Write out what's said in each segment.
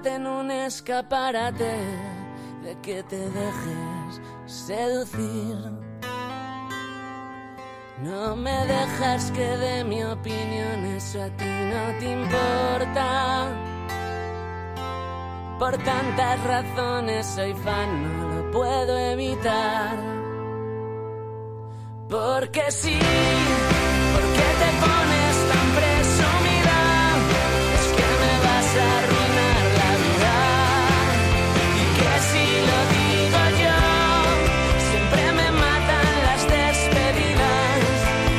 En un escaparate de que te dejes seducir. No me dejas que dé mi opinión, eso a ti no te importa. Por tantas razones soy fan, no lo puedo evitar. Porque sí, porque te pones tan presumida, es que me vas a arruinar la vida. Y que si lo digo yo, siempre me matan las despedidas.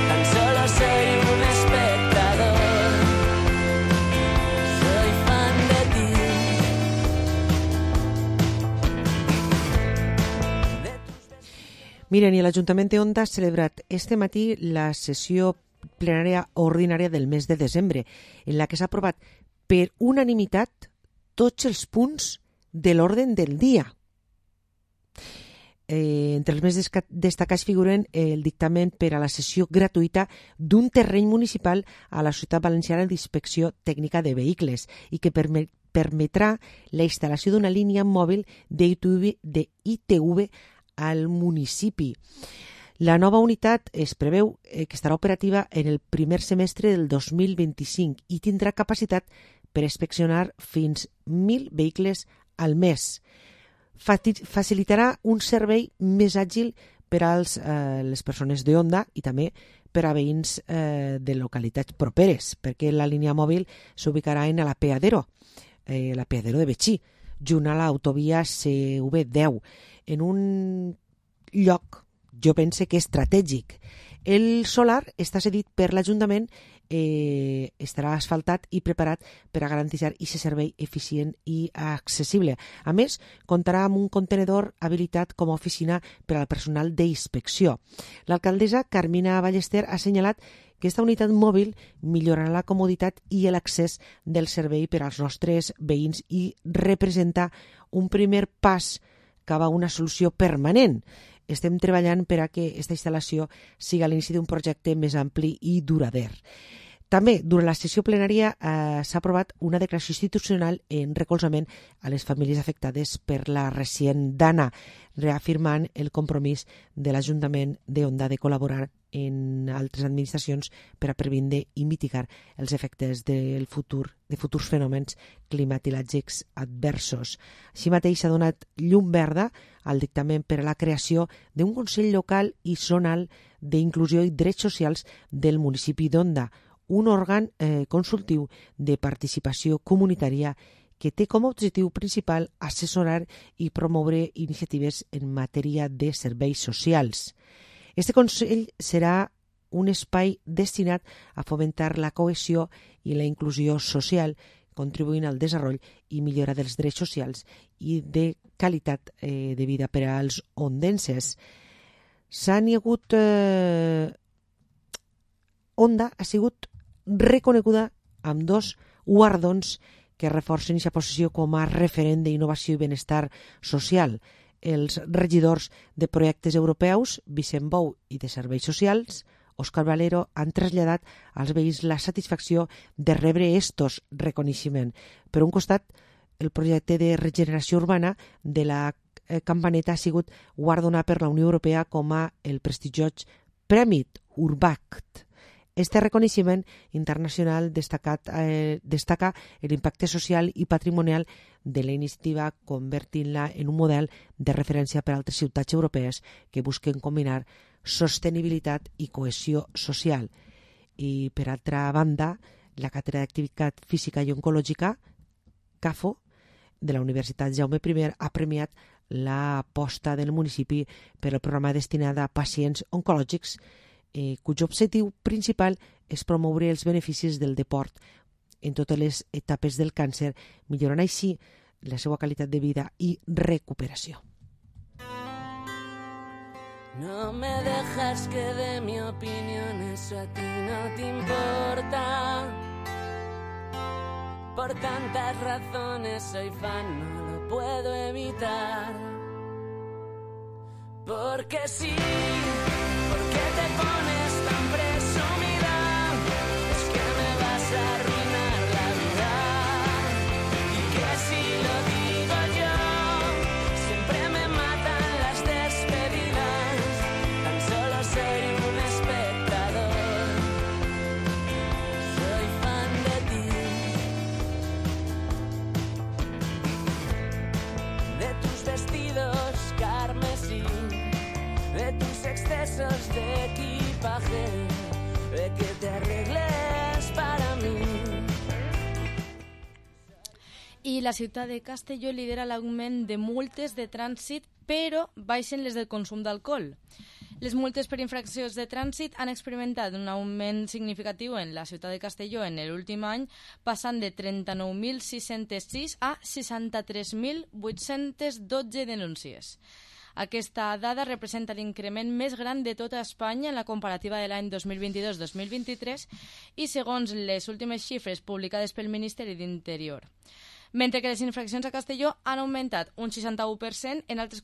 Tan solo soy un espectador, soy fan de ti. Miren, i l'Ajuntament d'Onda ha celebrat este matí la sessió plenària ordinària del mes de desembre, en la que s'ha aprovat per unanimitat tots els punts de l'ordre del dia. Entre els més destacats figuren el dictamen per a la cessió gratuïta d'un terreny municipal a la Societat Valenciana d'Inspecció Tècnica de Vehicles i que permetrà la instal·lació d'una línia mòbil d'ITV al municipi. La nova unitat es preveu que estarà operativa en el primer semestre del 2025 i tindrà capacitat per inspeccionar fins 1.000 vehicles al mes. Facilitarà un servei més àgil per a les persones d'Onda i també per a veïns de localitats properes, perquè la línia mòbil s'ubicarà en l'Apeadero de Betxí, junt a l'autovia CV10, en un lloc, jo pense que estratègic. El solar està cedit per l'Ajuntament, estarà asfaltat i preparat per a garantir aquest servei eficient i accessible. A més, comptarà amb un contenedor habilitat com a oficina per al personal d'inspecció. L'alcaldessa Carmina Ballester ha assenyalat que aquesta unitat mòbil millorarà la comoditat i l'accés del servei per als nostres veïns i representa un primer pas cap a una solució permanent. Estem treballant per a que aquesta instal·lació siga l'inici d'un projecte més ampli i durader. També, durant la sessió plenària s'ha aprovat una declaració institucional en recolzament a les famílies afectades per la recient dana, reafirmant el compromís de l'Ajuntament d'Onda de col·laborar en altres administracions per a previndre i mitigar els efectes de futurs fenòmens climatològics adversos. Així mateix s'ha donat llum verda al dictamen per a la creació d'un Consell Local i Zonal d'Inclusió i Drets Socials del municipi d'Onda, un òrgan consultiu de participació comunitària que té com a objectiu principal assessorar i promoure iniciatives en matèria de serveis socials. Este Consell serà un espai destinat a fomentar la cohesió i la inclusió social, contribuint al desenvolupament i millora dels drets socials i de qualitat de vida per als ondenses. Onda ha sigut reconeguda amb 2 guardons que reforcen aquesta posició com a referent d'innovació i benestar social. Els regidors de projectes europeus, Vicent Bou, i de serveis socials, Òscar Valero, han traslladat als veïns la satisfacció de rebre estos reconeixements. Per un costat, el projecte de regeneració urbana de la Campaneta ha sigut guardonat per la Unió Europea com a el prestigiós Premi Urbact. Este reconeixement internacional destaca l'impacte social i patrimonial de la iniciativa, convertint-la en un model de referència per a altres ciutats europees que busquen combinar sostenibilitat i cohesió social. I, per altra banda, la Càtedra d'Activitat Física i Oncològica, CAFO, de la Universitat Jaume I, ha premiat l'aposta del municipi per al programa destinat a pacients oncològics, cuyo objectiu principal és promoure els beneficis del deport en totes les etapes del càncer, millorant així la seva qualitat de vida i recuperació. No me dejas que dé mi opinión, eso a ti no te importa. Por tantas razones soy fan, no lo puedo evitar. Porque sí, porque te pones tan presumida, es que me vas a arruinar la vida. Y que si excesos de equipaje, de que te arregles para mí. I la ciutat de Castelló lidera l'augment de multes de trànsit, però baixen les del consum d'alcohol. Les multes per infraccions de trànsit han experimentat un augment significatiu en la ciutat de Castelló en l'últim any, passant de 39.606 a 63.812 denúncies. Aquesta dada representa l'increment més gran de tota Espanya en la comparativa de l'any 2022-2023 i segons les últimes xifres publicades pel Ministeri d'Interior. Mentre que les infraccions a Castelló han augmentat un 61%, en altres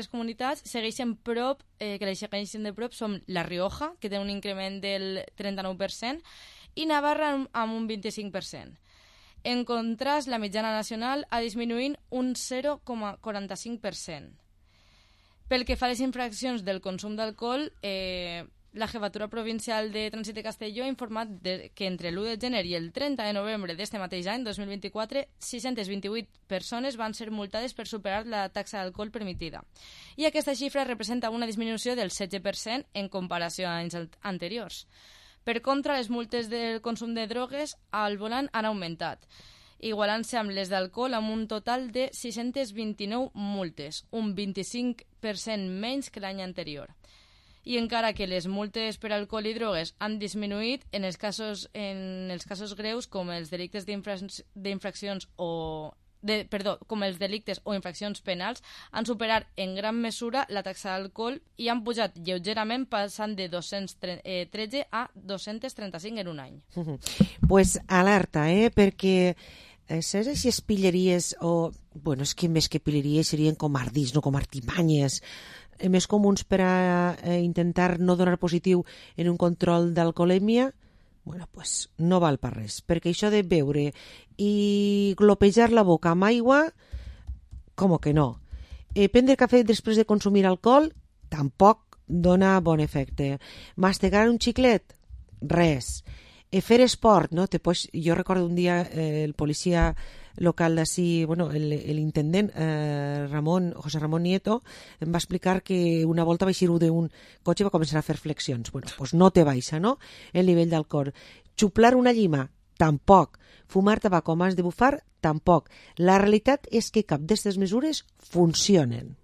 comunitats segueixen que les segueixen de prop són La Rioja, que té un increment del 39%, i Navarra amb un 25%. En contrast, la mitjana nacional ha disminuït un 0,45%. Pel que fa a les infraccions del consum d'alcohol, la Jefatura Provincial de Trànsit de Castelló ha informat que entre l'1 de gener i el 30 de novembre d'este mateix any, 2024, 628 persones van ser multades per superar la taxa d'alcohol permitida. I aquesta xifra representa una disminució del 16% en comparació a anys anteriors. Per contra, les multes del consum de drogues al volant han augmentat, igualant-se amb les d'alcohol amb un total de 629 multes, un 25% menys que l'any anterior. I encara que les multes per alcohol i drogues han disminuït, en els casos greus com els delictes d'infraccions com els delictes o infraccions penals han superat en gran mesura la taxa d'alcohol i han pujat lleugerament passant de 213 a 235 en un any. Pues alerta, perquè saps aquestes pilleries és que més que pilleries serien com ardis, no com artimanyes més comuns per a intentar no donar positiu en un control d'alcoholèmia, pues no val per res, perquè això de beure i glopejar la boca amb aigua, com que no. Prendre cafè després de consumir alcohol tampoc dona bon efecte. Mastegar un xiclet? Res. Fer esport, no? Jo recordo un dia el policia local d'ací, l'intendent José Ramón Nieto em va explicar que una volta va eixir d'un cotxe i va començar a fer flexions. Pues no te baixa, no? El nivell d'alcohol. Xuplar una llima? Tampoc. Fumar tabac com has de bufar? Tampoc. La realitat és que cap d'aquestes mesures funcionen.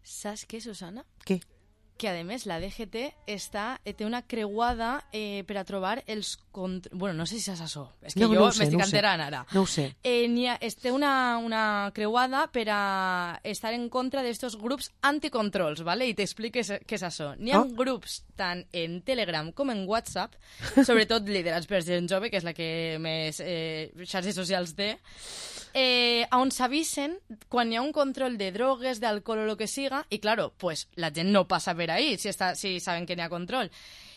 Saps què, Susana? Què? Que a més la DGT té una creuada per a trobar els... no sé si saps això, és que jo m'estic enterant ara. No ho sé. Té una creuada per a estar en contra d'estos grups anticontrols, ¿vale? I t'expliques què és això. N'hi ha grups tant en Telegram com en WhatsApp, sobretot liderats per gent jove, que és la que més xarxes socials té, on s'avisen quan hi ha un control de drogues, d'alcohol o el que siga, i claro, pues la gent no passa per ahí si saben que n'hi ha control.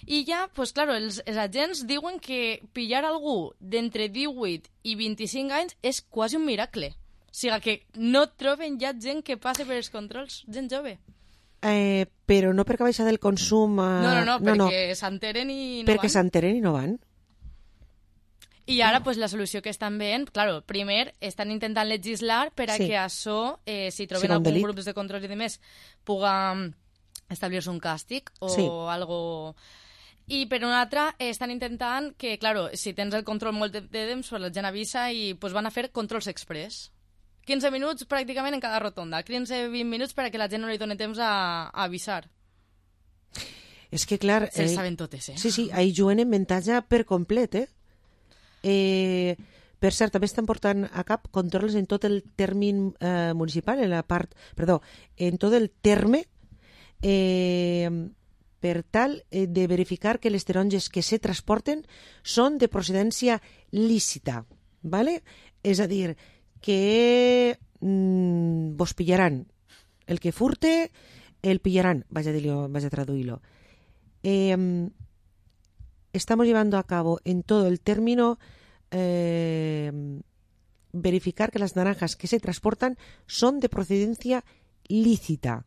I ja, pues claro, els agents diuen que pillar algú d'entre 18 i 25 anys és quasi un miracle. O sigui que no troben ja gent que passe per els controls, gent jove. Però no perquè baixa del consum... No, perquè s'enteren i no van. Perquè s'enteren i no van. I ara pues, la solució que estan veient, claro, primer estan intentant legislar per a que això, si troben algun grup de control i demés, puga establir-se un càstig o algo... I per una altra estan intentant que, claro, si tens el control molt de temps, pues la gent avisa i pues, van a fer controls express. 15 minuts pràcticament en cada rotonda, 15-20 minuts perquè la gent no li doni temps a avisar. És que, clar... Se saben totes, Sí, ahí juguen en avantatge per complet, per cert, també estan portant a cap controls en tot el terme municipal, en tot el terme, per tal de verificar que les taronges que se transporten són de procedència lícita, ¿vale? És a dir, que vos pillaran el que furte, el pillarán, vaig a traduir-lo. Estamos llevando a cabo en todo el término verificar que las naranjas que se transportan son de procedencia lícita.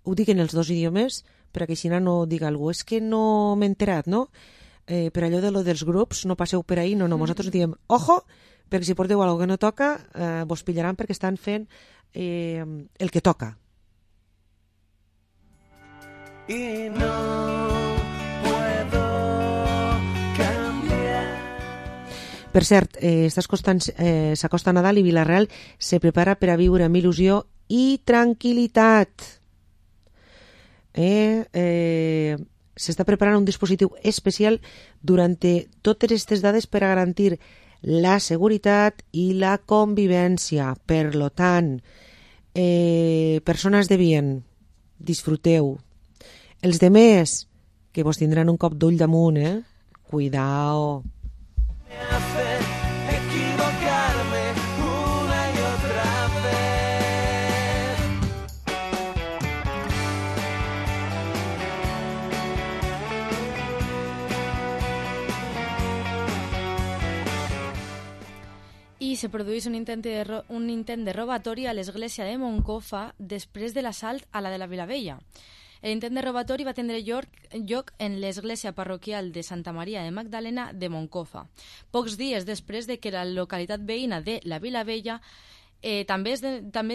Ho dic en els dos idiomes perquè si no diga algú, és que no m'he enterat, no? Per allò de lo dels grups, no passeu per ahí, no, nosaltres diem, ojo, perquè si porteu alguna que no toca, vos pillaran perquè estan fent el que toca. y no puedo cambiar. Per cert, s'acosta Nadal i Vila-real se prepara per a viure amb il·lusió i tranquil·litat. S'està preparant un dispositiu especial durant totes aquestes dades per a garantir la seguretat i la convivència. Per lo tant, persones de bien, disfruteu. Els demés, que vos tindran un cop d'ull damunt, Cuidao. Me hace equivocarme una y otra vez. I se produeix un intent de robatori a l'església de Moncofa després de l'assalt a la de la Vilavella. L'intent de robatori va tindre lloc en l'església parroquial de Santa Maria de Magdalena de Moncofa, pocs dies després de que la localitat veïna de la Vilavella també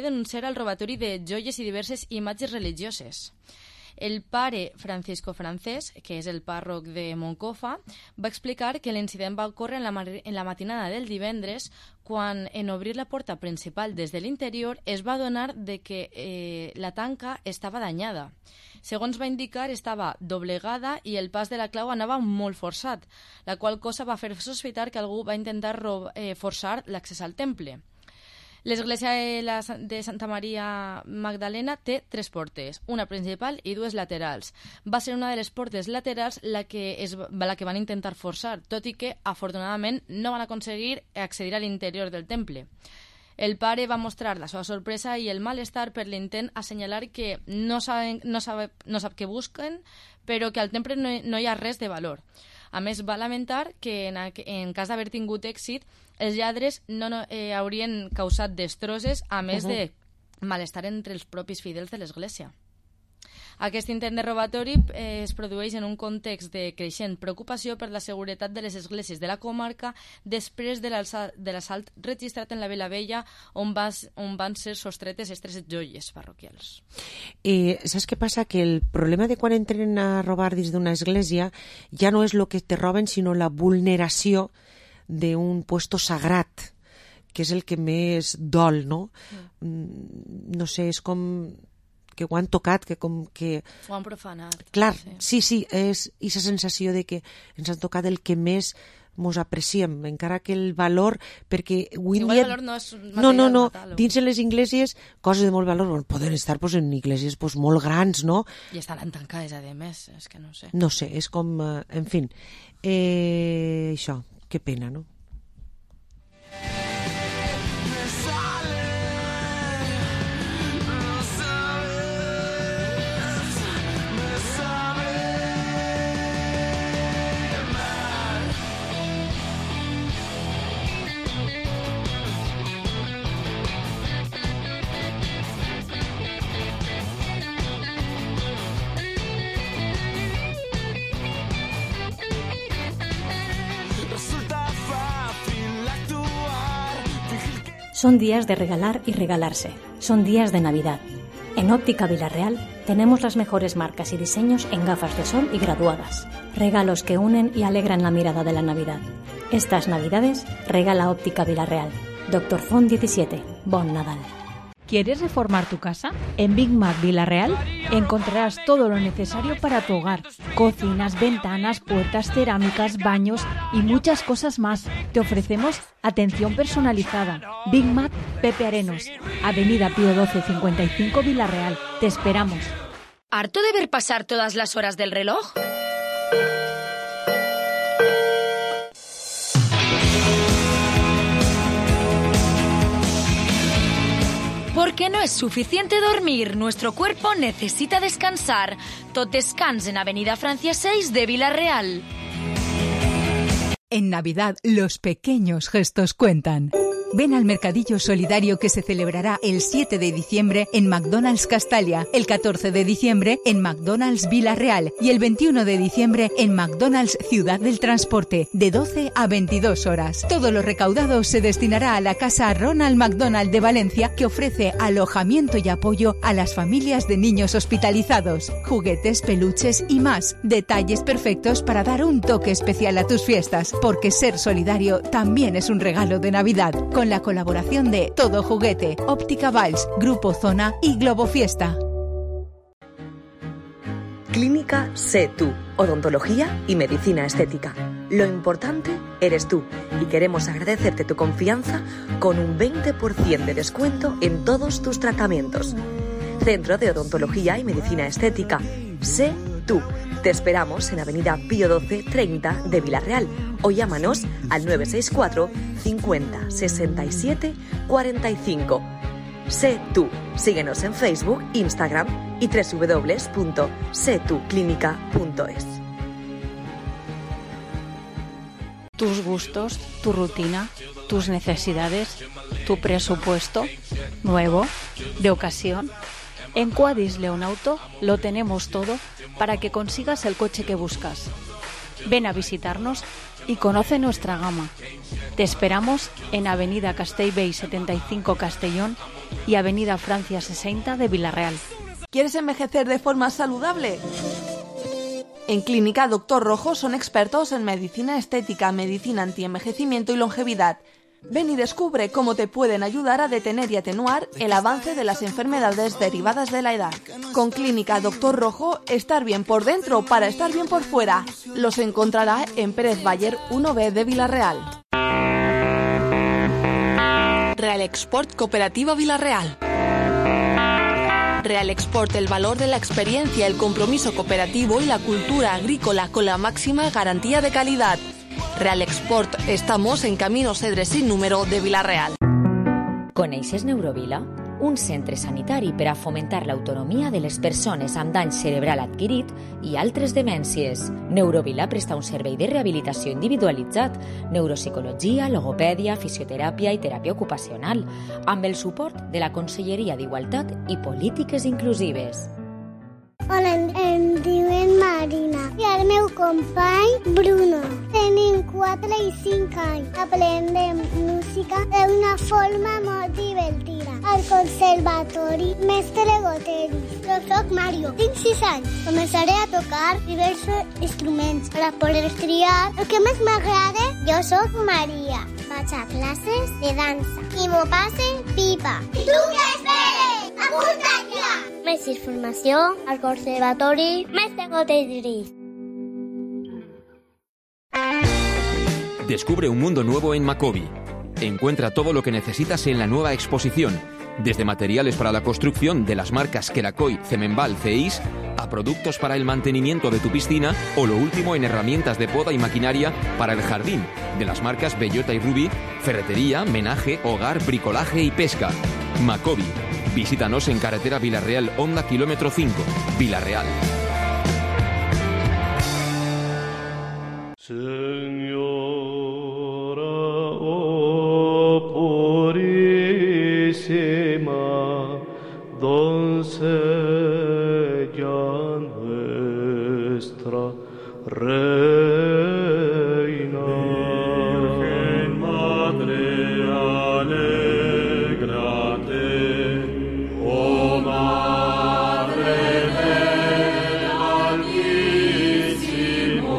denunciara el robatori de joies i diverses imatges religioses. El pare Francisco Francés, que és el pàrroc de Moncofa, va explicar que l'incident va ocórrer en la matinada del divendres, quan en obrir la porta principal des de l'interior es va adonar de que la tanca estava danyada. Segons va indicar, estava doblegada i el pas de la clau anava molt forçat, la qual cosa va fer sospitar que algú va intentar forçar l'accés al temple. L'església de Santa Maria Magdalena té 3 portes, una principal i 2 laterals. Va ser una de les portes laterals la que van intentar forçar, tot i que, afortunadament, no van aconseguir accedir a l'interior del temple. El pare va mostrar la seva sorpresa i el malestar per l'intent, assenyalar que no sap què busquen, però que al temple no hi ha res de valor. A més, va lamentar que en cas d'haver tingut èxit, els lladres no haurien causat destrosses, a més de malestar entre els propis fidels de l'Església. Aquest intent de robatori es produeix en un context de creixent preocupació per la seguretat de les esglésies de la comarca després de l'assalt registrat en la Vilavella, on van ser sostretes aquestes joies parroquials. Saps què passa? Que el problema de quan entren a robar dins d'una església ja no és el que te roben, sinó la vulneració d'un puesto sagrat, que és el que més dol, no? No sé, és com que ho han tocat, que com que... Ho han profanat. Clar, sí, és aquesta sensació de que ens han tocat el que més mos apreciem, encara que el valor, perquè avui igual el valor no és material. No, dins de les esglésies, coses de molt valor, poden estar en esglésies molt grans, no? I estan tancades, a més, és que no sé. No sé, és com, en fi, això, que pena, no? Son días de regalar y regalarse. Son días de Navidad. En Óptica Vila-real tenemos las mejores marcas y diseños en gafas de sol y graduadas. Regalos que unen y alegran la mirada de la Navidad. Estas Navidades regala Óptica Vila-real. Dr. Font 17. Bon Nadal. ¿Quieres reformar tu casa? En Big Mac Vila-real encontrarás todo lo necesario para tu hogar. Cocinas, ventanas, puertas, cerámicas, baños y muchas cosas más. Te ofrecemos atención personalizada. Big Mac Pepe Arenos, Avenida Pío 12 55 Vila-real. Te esperamos. ¿Harto de ver pasar todas las horas del reloj? Porque no es suficiente dormir, nuestro cuerpo necesita descansar. Tot descans en Avenida Francia 6 de Vila-real. En Navidad, los pequeños gestos cuentan. Ven al Mercadillo Solidario que se celebrará el 7 de diciembre en McDonald's Castalia, el 14 de diciembre en McDonald's Vila Real y el 21 de diciembre en McDonald's Ciudad del Transporte, de 12 a 22 horas. Todo lo recaudado se destinará a la Casa Ronald McDonald de Valencia, que ofrece alojamiento y apoyo a las familias de niños hospitalizados, juguetes, peluches y más. Detalles perfectos para dar un toque especial a tus fiestas, porque ser solidario también es un regalo de Navidad. Con la colaboración de Todo Juguete, Óptica Valls, Grupo Zona y Globo Fiesta. Clínica Sé Tú, odontología y medicina estética. Lo importante eres tú y queremos agradecerte tu confianza con un 20% de descuento en todos tus tratamientos. Centro de Odontología y Medicina Estética. Sé Tú. Te esperamos en Avenida Pío 12 30 de Vilarreal o llámanos al 964 50 67 45. Sé Tú. Síguenos en Facebook, Instagram y www.setuclinica.es. Tus gustos, tu rutina, tus necesidades, tu presupuesto, nuevo, de ocasión. En Quadis Leonauto lo tenemos todo para que consigas el coche que buscas. Ven a visitarnos y conoce nuestra gama. Te esperamos en Avenida Castellbell 75 Castellón y Avenida Francia 60 de Vilarreal. ¿Quieres envejecer de forma saludable? En Clínica Doctor Rojo son expertos en medicina estética, medicina antienvejecimiento y longevidad. Ven y descubre cómo te pueden ayudar a detener y atenuar el avance de las enfermedades derivadas de la edad. Con Clínica Doctor Rojo, estar bien por dentro para estar bien por fuera. Los encontrará en Pérez Bayer 1B de Vilarreal. Real Export Cooperativa Vilarreal. Real Export, el valor de la experiencia, el compromiso cooperativo y la cultura agrícola con la máxima garantía de calidad. Real Export, estamos en Camino Cedre sin número de Vilarreal. Coneixes Neurovila? Un centre sanitari per a fomentar l'autonomia de les persones amb dany cerebral adquirit i altres demències. Neurovila presta un servei de rehabilitació individualitzat, neuropsicologia, logopèdia, fisioteràpia i teràpia ocupacional, amb el suport de la Conselleria d'Igualtat i Polítiques Inclusives. Hola, em diuen Marina i el meu company Bruno. Tenim 4 i 5 anys. Aprendem música d'una forma molt divertida. Al conservatori Mestre Goteris. Jo soc Mario, tinc 6 anys. Començaré a tocar diversos instruments per a poder triar el que més m'agrada. Jo soc Maria. Vaig a classes de dansa i m'ho passe pipa. I tu què esperes? Apunta't ja! Més informació al Conservatori Mestre Goteris. Descubre un mundo nuevo en Macobi. Encuentra todo lo que necesitas en la nueva exposición, desde materiales para la construcción de las marcas Queracoy, Cemenbal, CEIS, a productos para el mantenimiento de tu piscina o lo último en herramientas de poda y maquinaria para el jardín, de las marcas Bellota y Ruby, ferretería, menaje, hogar, bricolaje y pesca. Macobi. Visítanos en carretera Vilarreal, Honda, kilómetro 5, Vilarreal. Señora, oh purísima doncella nuestra reina, Virgen Madre, alégrate, oh Madre del Altísimo,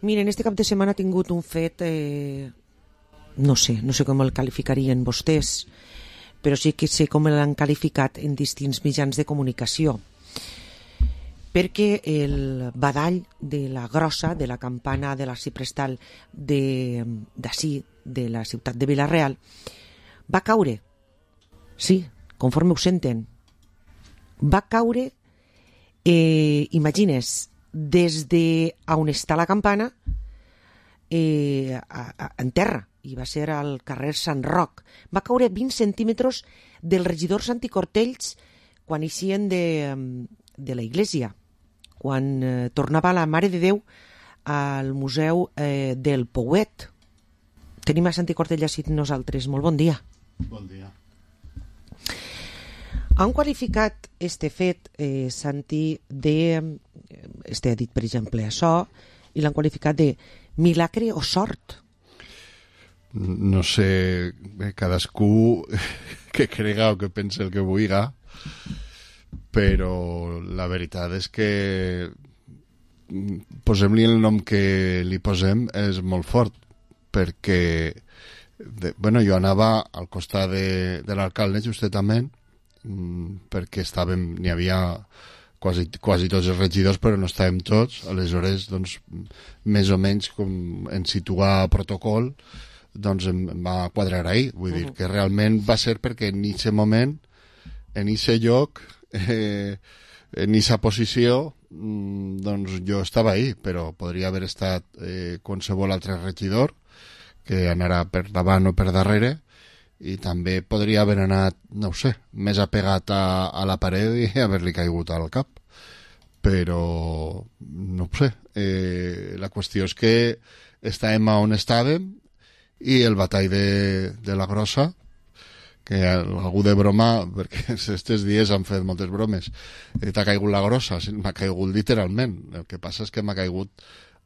Miren, este cap de setmana ha tingut un fet, no sé com el qualificarien vostès, però sí que sé com l'han qualificat en distints mitjans de comunicació. Perquè el badall de la grossa, de la campana de l'arxiprestal d'ací, de la ciutat de Vila-real, va caure. Sí, conforme ho senten. Va caure, imagines, des de on està la campana en terra, i va ser al carrer Sant Roc. Va caure 20 centímetres del regidor Santi Cortells quan eixien de la iglesia, quan tornava la Mare de Déu al Museu del Pouet. Tenim a Santi Cortells així nosaltres. Molt bon dia. Bon dia. Han qualificat este fet, Santi, ha dit, per exemple, això, i l'han qualificat de milagre o sort. No sé, cadascú que crega o que pense el que vulgui, però la veritat és que posem-li el nom que li posem és molt fort, perquè jo anava al costat de l'alcalde justament, perquè n'hi havia quasi tots els regidors, però no estàvem tots. Aleshores, doncs, més o menys com en situar protocol, doncs em va quadrar ahir. Vull dir que realment va ser perquè en aquest moment, en aquest lloc, en aquesta posició, doncs jo estava ahí, però podria haver estat qualsevol altre regidor que anarà per davant o per darrere, i també podria haver anat, no ho sé, més apegat a la paret i haver-li caigut al cap. Però no ho sé, la qüestió és que estàvem on estàvem, i el batall de la grossa, que algú de broma, perquè aquests dies han fet moltes bromes, t'ha caigut la grossa, m'ha caigut literalment. El que passa és que m'ha caigut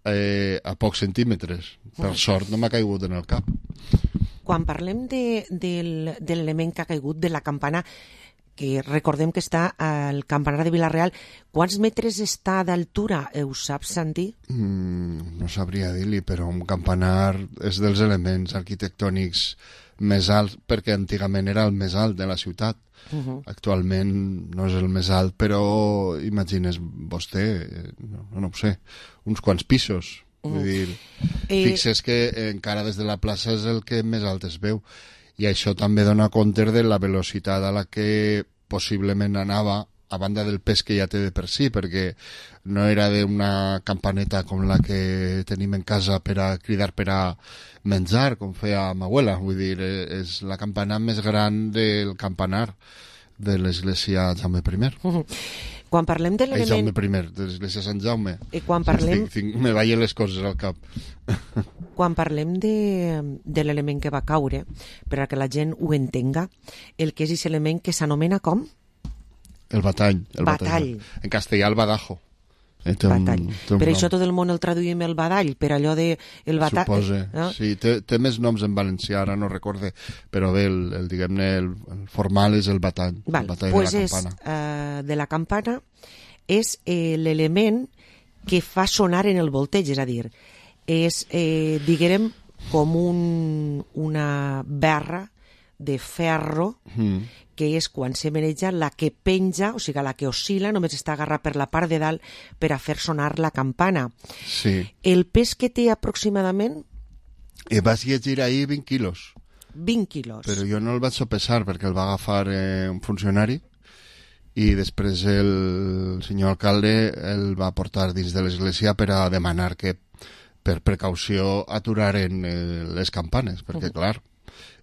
a pocs centímetres. Per sort no m'ha caigut en el cap. Quan parlem de l'element que ha caigut de la campana, que recordem que està al campanar de Vila-real, quants metres està d'altura? Ho saps, Santi? No sabria dir-li, però un campanar és dels elements arquitectònics més alts, perquè antigament era el més alt de la ciutat. Actualment no és el més alt, però imagines vostè, no ho sé, uns quants pisos. Vull dir, fixes que encara des de la plaça és el que més alt es veu, i això també dona compte de la velocitat a la que possiblement anava, a banda del pes que ja té de per si, perquè no era d'una campaneta com la que tenim en casa per a cridar per a menjar, com feia ma abuela. Vull dir, és la campana més gran del campanar de l'església Jaume I. Quan parlem de l'element... Jaume I, de l'església Sant Jaume. Quan parlem... Me ballen les coses al cap. Quan parlem de l'element que va caure, per a que la gent ho entenga, el que és aquest element que s'anomena com? El batall. Batall. En castellà, el badajo. Batall. Per això tot el món el traduïm el badall, per allò de... Suposa, sí. Té més noms en valencià, ara no recorde, però bé, diguem-ne, el formal és el batall. El batall de la campana. De la campana és l'element que fa sonar en el volteig, és a dir, és, diguem, com una berra de ferro, que és quan se maneja la que penja, o sigui, la que oscil·la, només està agarrat per la part de dalt per a fer sonar la campana. Sí. El pes que té aproximadament? Vas llegir ahir 20 quilos. 20 quilos. Però jo no el vaig sopesar perquè el va agafar un funcionari, i després el senyor alcalde el va portar dins de l'església per a demanar que per precaució aturaren les campanes, perquè clar,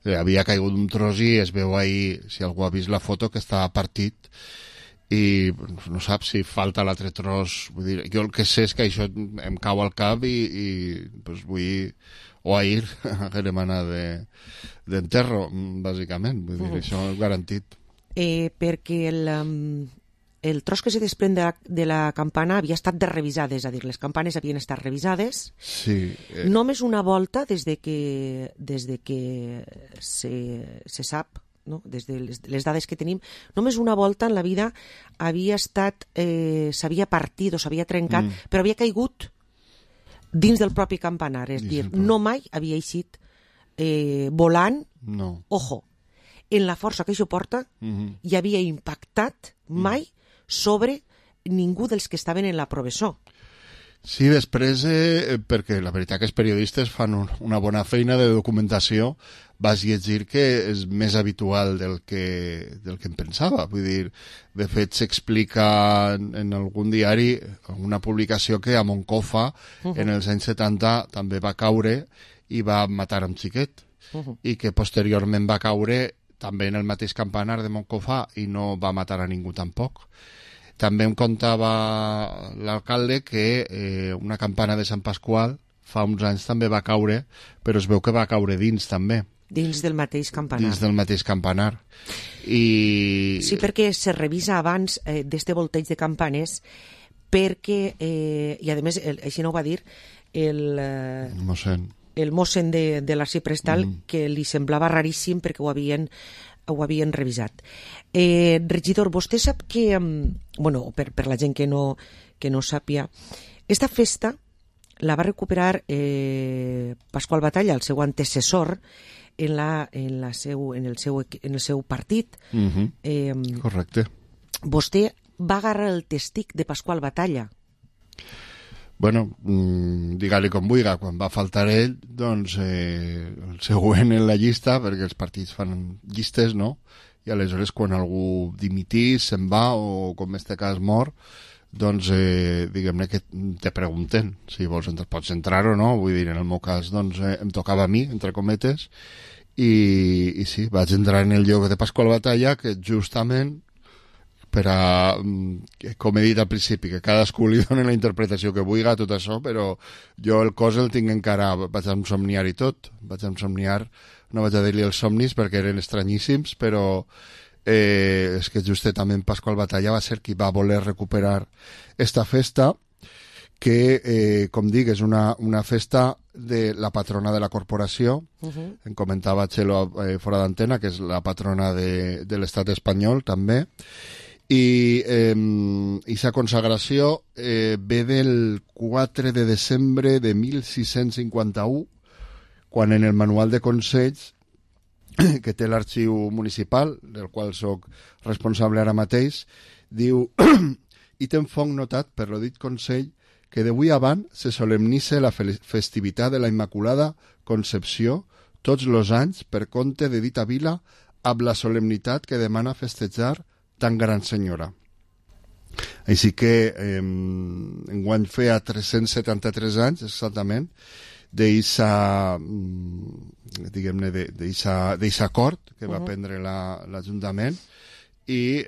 havia caigut un tros i es veu ahir, si algú ha vist la foto, que està partit i no sap si falta l'altre tros. Vull dir, jo el que sé és que això em cau al cap i pues, vull o ahir haguem anat d'enterro, bàsicament. Vull dir, això és garantit. Perquè el tros que se desprèn de la campana havia estat de revisades, és a dir, les campanes havien estat revisades. Sí. Només una volta des de que se sap, no? Des de les dades que tenim, només una volta en la vida havia estat, s'havia partit o s'havia trencat, però havia caigut dins del propi campanar, és dir, no mai havia eixit volant, ojo, en la força que això porta, i havia impactat mai sobre ningú dels que estaven en la professor. Sí, després, perquè la veritat que els periodistes fan una bona feina de documentació, vas llegir que és més habitual del que em pensava. Vull dir, de fet, s'explica en algun diari, una publicació, que a Moncofa, en els anys 70, també va caure i va matar un xiquet. I que posteriorment va caure també en el mateix campanar de Moncofa i no va matar a ningú tampoc. També em contava l'alcalde que una campana de Sant Pasqual fa uns anys també va caure, però es veu que va caure dins també. Dins del mateix campanar. Dins del mateix campanar. I... Sí, perquè se revisa abans d'este volteig de campanes, perquè, i a més, així no ho va dir, el mossèn de l'Arxiprestal, que li semblava raríssim perquè ho havien revisat. Regidor, vostè sap que, bueno, per la gent que no sàpia, esta festa la va recuperar Pasqual Batalla, el seu antecessor, en el seu partit. Correcte. Vostè va agarrar el testic de Pasqual Batalla. Bueno, digue-li com vulgui, quan va faltar ell, doncs el següent en la llista, perquè els partits fan llistes, no? I aleshores quan algú dimitís, se'n va, o com en este cas mor, doncs diguem-ne que te pregunten si pots entrar o no. Vull dir, en el meu cas doncs em tocava a mi, entre cometes, i sí, vaig entrar en el lloc de Pasqual Batalla, que justament per a, com he dit al principi, que cadascú li doni la interpretació que vulgui a tot això, però jo el cos el tinc encara, vaig ensomniar i tot, no vaig a dir-li els somnis perquè eren estranyíssims, però és que justament Pasqual Batalla va ser qui va voler recuperar esta festa, que, com dic, és una festa de la patrona de la corporació. Em comentava Txelo fora d'antena, que és la patrona de l'estat espanyol, també. I sa consagració ve del 4 de desembre de 1651, quan en el manual de consells que té l'arxiu municipal, del qual sóc responsable ara mateix, diu: i ten fonc notat per lo dit consell que d'avui avant se solemnitza la festivitat de la Immaculada Concepció tots els anys per compte de dita vila, amb la solemnitat que demana festejar tan gran senyora. Així que enguany feia 373 anys exactament d'eixa, diguem-ne, d'eixa acord que va prendre l'Ajuntament, i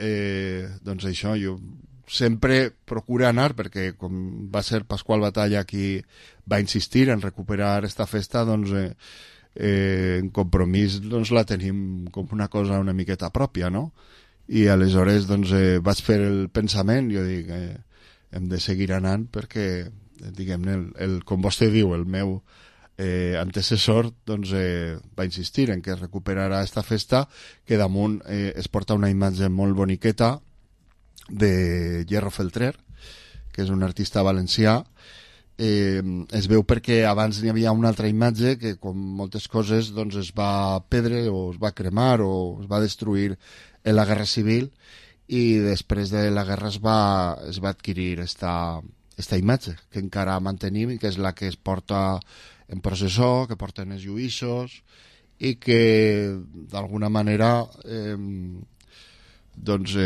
doncs això, jo sempre procuro anar, perquè com va ser Pasqual Batalla qui va insistir en recuperar esta festa, doncs en Compromís doncs la tenim com una cosa una miqueta pròpia, no? I aleshores doncs vaig fer el pensament, jo dic, hem de seguir anant perquè, diguem-ne, com vostè diu, el meu antecessor doncs va insistir en que recuperarà esta festa, que damunt es porta una imatge molt boniqueta de Hierro Feltrer, que és un artista valencià. Es veu perquè abans n'hi havia una altra imatge que, com moltes coses, doncs es va perdre o es va cremar o es va destruir en la Guerra Civil, i després de la guerra es va adquirir esta imatge que encara mantenim i que és la que es porta en processó, que porten els lluïssos, i que d'alguna manera doncs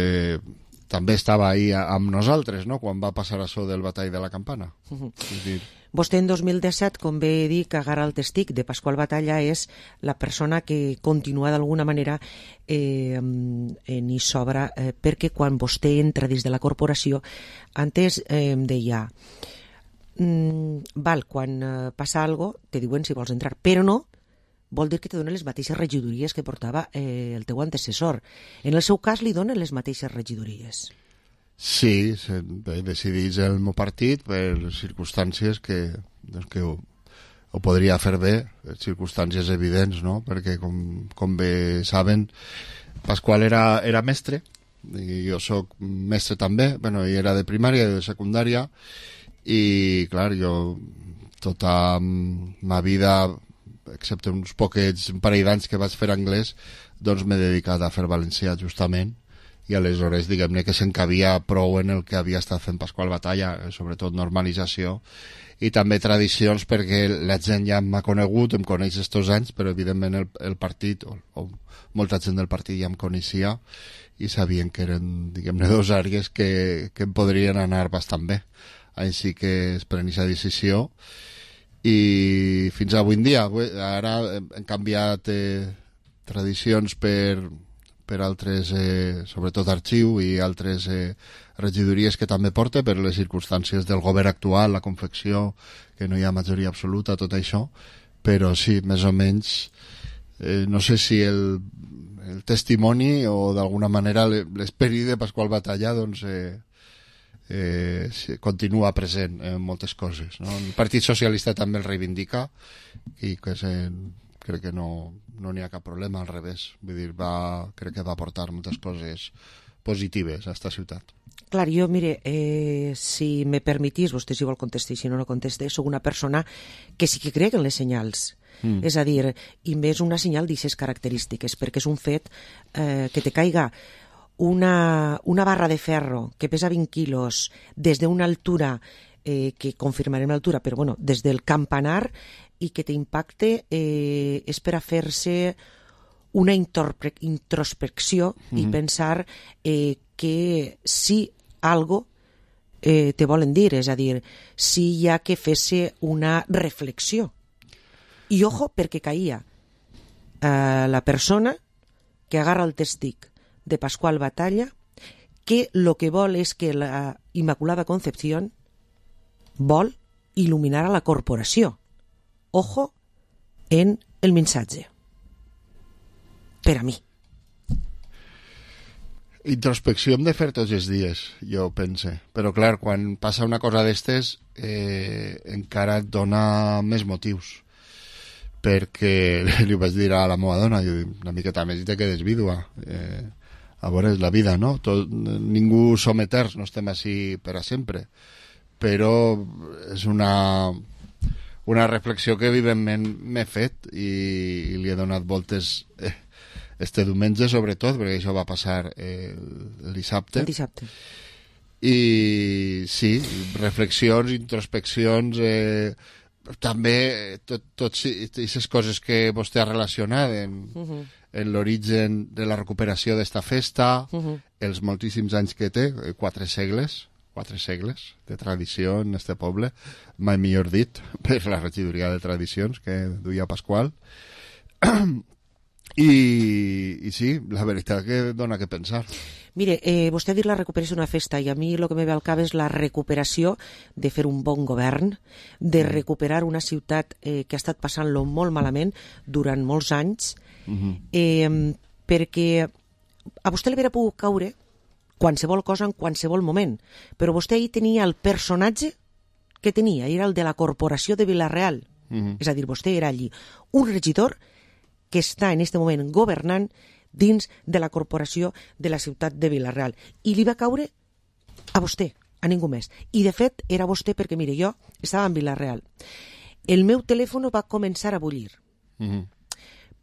també estava ahí amb nosaltres, no?, quan va passar això del batall de la Campana. Vostè en 2017, com bé dir, que agarra el testic de Pasqual Batalla, és la persona que continua d'alguna manera en i sobra, perquè quan vostè entra dins de la corporació, antes em deia, val, quan passa algo te diuen si vols entrar, però no vol dir que te donen les mateixes regidories que portava el teu antecessor. En el seu cas li donen les mateixes regidories. Sí, decidís el meu partit per circumstàncies que ho podria fer bé, circumstàncies evidents, no? Perquè com bé saben, Pasqual era mestre, i jo sóc mestre també, bueno, i era de primària i de secundària, i clar, jo tota ma vida, excepte un parell d'anys que vaig fer anglès, doncs m'he dedicat a fer valencià justament, i aleshores diguem-ne que s'encabia prou en el que havia estat fent Pasqual Batalla, sobretot normalització i també tradicions, perquè la gent ja m'ha conegut, em coneix estos anys, però evidentment el partit o molta gent del partit ja em coneixia i sabien que eren, diguem-ne, dos àrees que em podrien anar bastant bé. Així que es pren aquesta decisió i fins avui en dia. Ara hem canviat tradicions per altres, sobretot arxiu i altres regidories que també porta per les circumstàncies del govern actual, la confecció, que no hi ha majoria absoluta, tot això, però sí, més o menys, no sé si el testimoni o d'alguna manera l'esperit de Pasqual Batalla doncs continua present en moltes coses, no? El Partit Socialista també el reivindica i que crec que no n'hi ha cap problema, al revés, vull dir, crec que va aportar moltes coses positives a esta ciutat. Clar, jo, mire, si me permetís, vostè si vol contestar, si no, no conteste, soc una persona que sí que crec en les senyals. És a dir, i més una senyal d'aquestes característiques, perquè és un fet que te caiga una barra de ferro que pesa 20 quilos des d'una altura, que confirmarem l'altura, però bueno, des del campanar, i que t'impacte, és per a fer-se una introspecció i pensar que si algo te volen dir, és a dir, si hi ha que fer-se una reflexió. I ojo, perquè caïa la persona que agarra el testic de Pasqual Batalla, que lo que vol és que la Immaculada Concepción vol il·luminar a la corporació. Ojo en el missatge. Per a mi. Introspecció hem de fer tots els dies, jo pense. Però clar, quan passa una cosa d'estes encara et dona més motius. Perquè li vaig dir a la meva dona, una miqueta més i te quedes vídua. A veure, és la vida, no? Ningú som eterns, no estem així per a sempre. Però és una reflexió que evidentment m'he fet i li he donat voltes este diumenge, sobretot, perquè això va passar el dissabte. El dissabte. I sí, reflexions, introspeccions, també totes aquestes coses que vostè ha relacionat en l'origen de la recuperació d'esta festa, els moltíssims anys que té, 4 segles de tradició en este poble, mai millor dit, per la regidoria de tradicions que duia Pasqual. I sí, la veritat que dona que pensar. Mire, vostè ha dit la recuperació d'una festa i a mi el que me ve al cap és la recuperació de fer un bon govern, de recuperar una ciutat que ha estat passant-lo molt malament durant molts anys, perquè a vostè li hauria pogut caure qualsevol cosa en qualsevol moment, però vostè ahir tenia el personatge que tenia, era el de la corporació de Vila-real. És a dir, vostè era allí un regidor que està en aquest moment governant dins de la corporació de la ciutat de Vila-real. I li va caure a vostè, a ningú més. I de fet era vostè perquè, mire, jo estava en Vila-real. El meu telèfon va començar a bullir.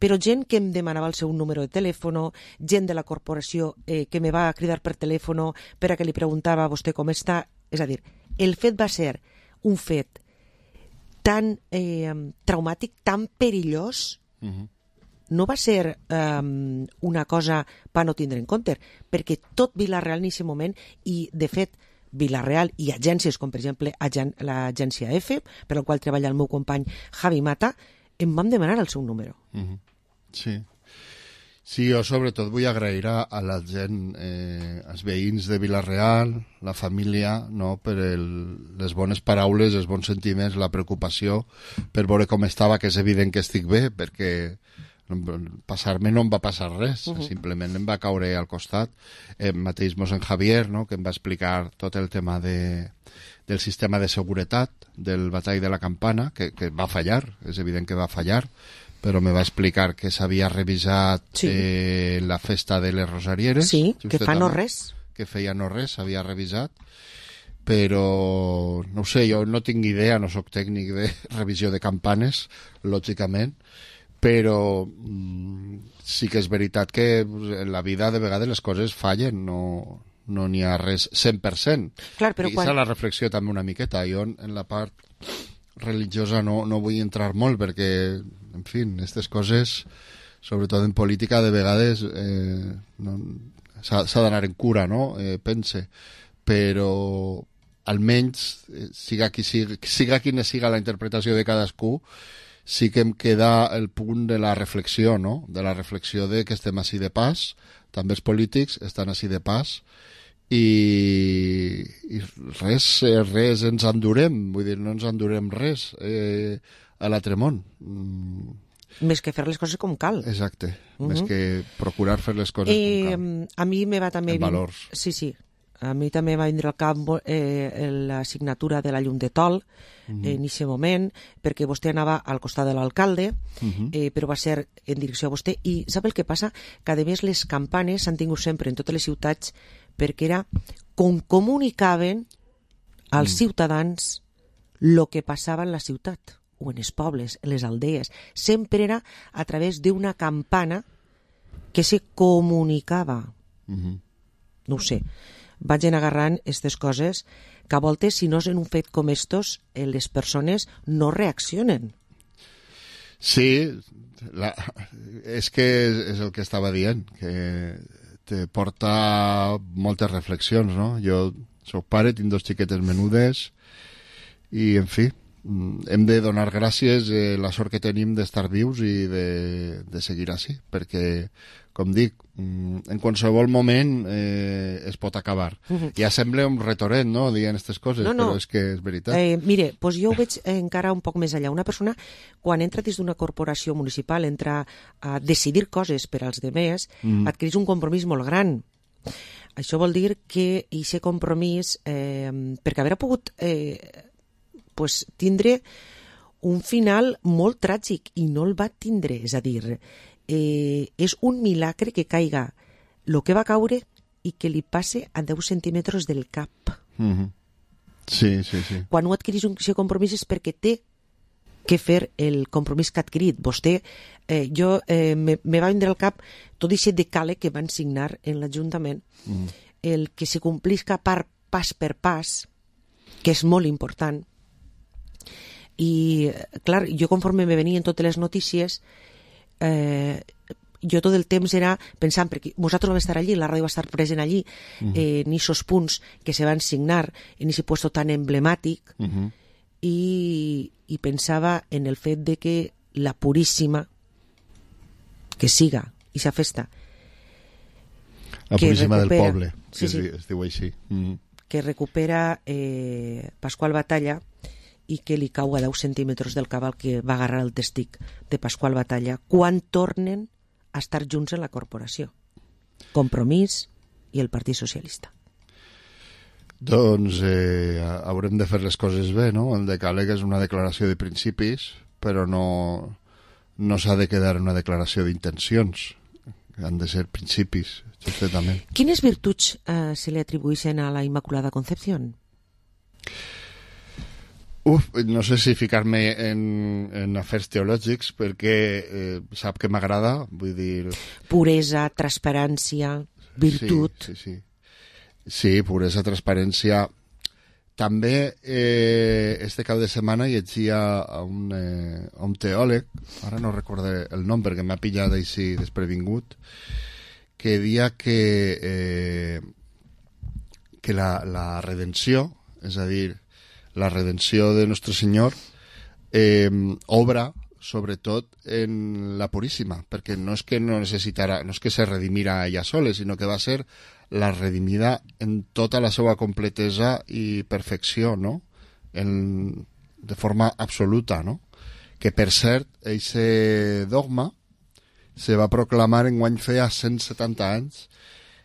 Però gent que em demanava el seu número de telèfon, gent de la corporació que me va cridar per telèfon per a que li preguntava a vostè com està. És a dir, el fet va ser un fet tan traumàtic, tan perillós, no va ser una cosa per no tindre en compte, perquè tot Vila-real en aquest moment, i de fet Vila-real i agències com per exemple l'agència F, per la qual treballa el meu company Javi Mata, em vam demanar el seu número. Sí, jo sobretot vull agrair a la gent, als veïns de Vila-real, la família, no, per les bones paraules, els bons sentiments, la preocupació per veure com estava, que és evident que estic bé, perquè passar-me no em va passar res, simplement em va caure al costat. Mateix mossèn Javier, no, que em va explicar tot el tema del sistema de seguretat del batall de la Campana, que va fallar, és evident que va fallar, però me va explicar que s'havia revisat la festa de les Rosarieres. Sí, que fa no res. Que feia no res, s'havia revisat, però no ho sé, jo no tinc idea, no sóc tècnic de revisió de campanes, lògicament, però sí que és veritat que en la vida de vegades les coses fallen, no n'hi ha res 100%. Clar, però I és la reflexió també una miqueta. Jo en la part religiosa no vull entrar molt perquè, en fi, aquestes coses, sobretot en política, de vegades s'ha d'anar en cura, no? Pense. Però almenys, siga quina siga la interpretació de cadascú, sí que em queda el punt de la reflexió, no? De la reflexió de que estem així de pas, també els polítics estan així de pas, i res ens endurem, vull dir, no ens endurem res a l'altre món. Més que fer les coses com cal. Exacte, més que procurar fer les coses com cal. A mi me va també... En valors. Sí. A mi també va vindre al cap la signatura de la llum de Tol en aquest moment, perquè vostè anava al costat de l'alcalde, però va ser en direcció a vostè. I sap el que passa? Que a més les campanes s'han tingut sempre en totes les ciutats perquè era com comunicaven als ciutadans el que passava en la ciutat, o en els pobles, en les aldees. Sempre era a través d'una campana que se comunicava. No ho sé. Vaig agarrant aquestes coses que a voltes, si no és en un fet com estos, les persones no reaccionen. Sí, és que és el que estava dient, que te porta moltes reflexions, no? Jo soc pare, tinc 2 xiquetes menudes i, en fi, hem de donar gràcies la sort que tenim d'estar vius i de seguir així, perquè, com dic, en qualsevol moment es pot acabar. Ja sembla un retorent, no?, dient aquestes coses, però és que és veritat. Mire, doncs jo ho veig encara un poc més allà. Una persona, quan entra dins d'una corporació municipal, entra a decidir coses per als demés, adquireix un compromís molt gran. Això vol dir que aquest compromís, perquè haver pogut tindre un final molt tràgic, i no el va tindre, és a dir, és un milagre que caiga el que va caure i que li passe a 10 centímetres del cap. Sí. Quan ho adquireix aquest compromís és perquè té que fer el compromís que ha adquirit. Vostè, me va vindre al cap tot aquest decàleg que van signar en l'Ajuntament, el que se complisca pas per pas, que és molt important. I, clar, jo conforme me venien totes les notícies, jo tot el temps era pensant, perquè nosaltres vam estar allí, la ràdio va estar present allí, en aquests punts que se van signar, en aquest puesto tan emblemàtic, i pensava en el fet de que la Puríssima, que siga, i sa festa, la Puríssima del poble, sí, es diu així, que recupera Pasqual Batalla, i que li cau a 10 centímetres del cabal que va agarrar el testic de Pasqual Batalla, quan tornen a estar junts en la corporació. Compromís i el Partit Socialista. Doncs haurem de fer les coses bé, no? El decàleg és una declaració de principis, però no s'ha de quedar en una declaració d'intencions. Han de ser principis, justament. Quines virtuts se li atribueixen a la Immaculada Concepción? No sé si ficar-me en afers teològics, perquè sap que m'agrada, vull dir... Puresa, transparència, virtut... Sí, puresa, transparència. També este cap de setmana llegia a un teòleg, ara no recordé el nom perquè m'ha pillat així desprevingut, que dia que la redenció, és a dir, la redenció de Nostre Senyor obra sobretot en la Puríssima, perquè no és que no és que se redimira ella sola, sinó que va ser la redimida en tota la seva completesa i perfecció, no? De forma absoluta, no? Que, per cert, aquest dogma se va proclamar enguany feia 170 anys.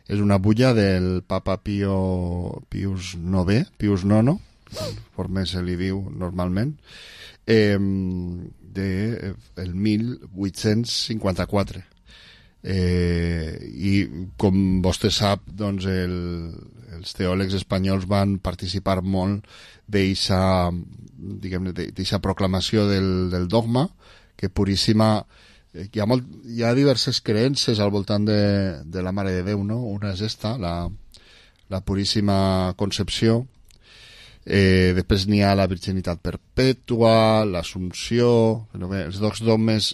És una bulla del papa Pius IX, conforme se li diu normalment, del 1854. I com vostè sap, doncs els teòlegs espanyols van participar molt d'eixa proclamació del dogma, que Puríssima... Hi ha diverses creences al voltant de la Mare de Déu, no? Una és esta, la Puríssima Concepció. Després n'hi ha la virginitat perpètua, l'Assumpció. Els dos dogmes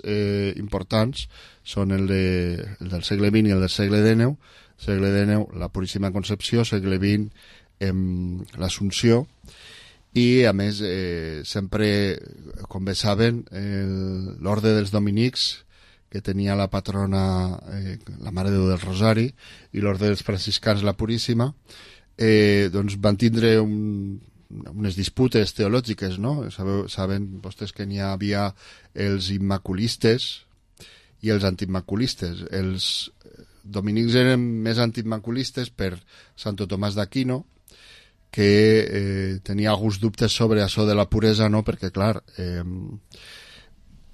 importants són el del segle XX i el del segle XIX. Segle XIX, la Puríssima Concepció, segle XX, l'Assumpció. I, a més, sempre, com bé saben, l'Orde dels Dominics, que tenia la patrona, la Mare de Déu del Rosari, i l'Orde dels Franciscans, la Puríssima, doncs van tindre unes disputes teològiques, no? Saben vostès que n'hi havia els immaculistes i els antiimmaculistes. Els dominics eren més antiimmaculistes per Santo Tomàs d'Aquino, que tenia alguns dubtes sobre això de la puresa, no? Perquè, clar,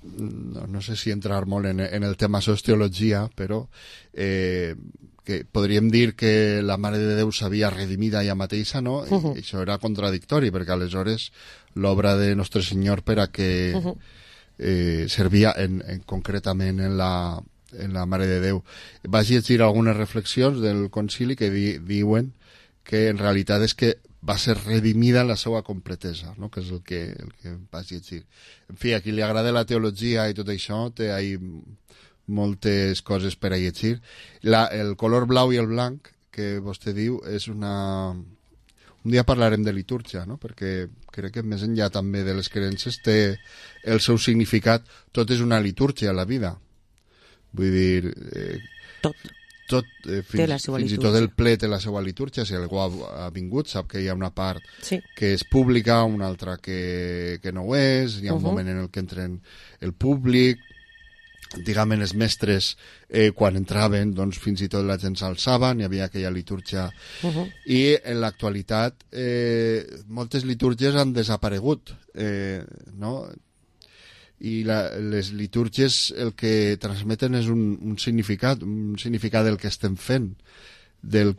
no sé si entrar molt en el tema sociologia, però que podríem dir que la Mare de Déu s'havia redimida ella mateixa, no? I això era contradictori, perquè aleshores l'obra de Nostre Senyor per a que servia concretament en la Mare de Déu. Vaig llegir algunes reflexions del concili que diuen que en realitat és que va ser redimida en la seva completesa, no? Que és el que vaig llegir. En fi, a qui li agrada la teologia i tot això, té moltes coses per a llegir. El color blau i el blanc, que vostè diu, és una... Un dia parlarem de litúrgia, no? Perquè crec que més enllà també de les creences té el seu significat. Tot és una litúrgia a la vida. Vull dir... fins i tot el ple té la seva litúrgia. Si algú ha vingut sap que hi ha una part que és pública, una altra que no ho és, hi ha un moment en el que entren el públic, diguem, els mestres quan entraven, doncs fins i tot la gent s'alçava, hi havia aquella litúrgia, i en l'actualitat moltes litúrgies han desaparegut, no? I les litúrgies el que transmeten és un significat del que estem fent, de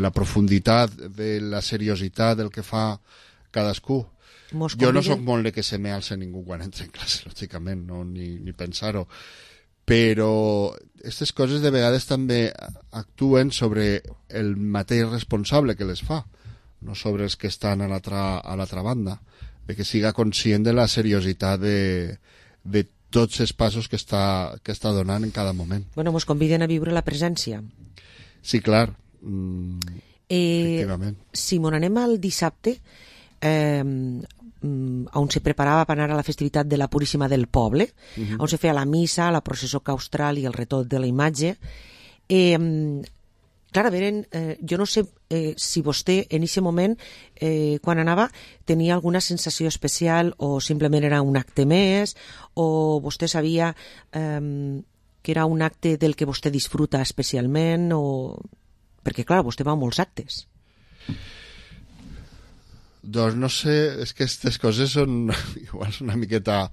la profunditat, de la seriositat del que fa cadascú. Jo no sóc molt de que se me alce ningú quan entra en classe, lògicament, no, ni pensar-ho, però aquestes coses de vegades també actuen sobre el mateix responsable que les fa, no sobre els que estan a l'altra banda, de que siga conscient de la seriositat de tots els passos que està donant en cada moment. Bueno, ens conviden a viure la presència. Sí, clar. Efectivament. Si m'on anem al dissabte, on se preparava per anar a la festivitat de la Puríssima del Poble, on se feia la missa, la processó claustral i el retot de la imatge, clar, a veure, jo no sé si vostè en aquest moment, quan anava, tenia alguna sensació especial o simplement era un acte més, o vostè sabia que era un acte del que vostè disfruta especialment, perquè, clar, vostè va a molts actes. Doncs no sé, és que aquestes coses són igual una miqueta...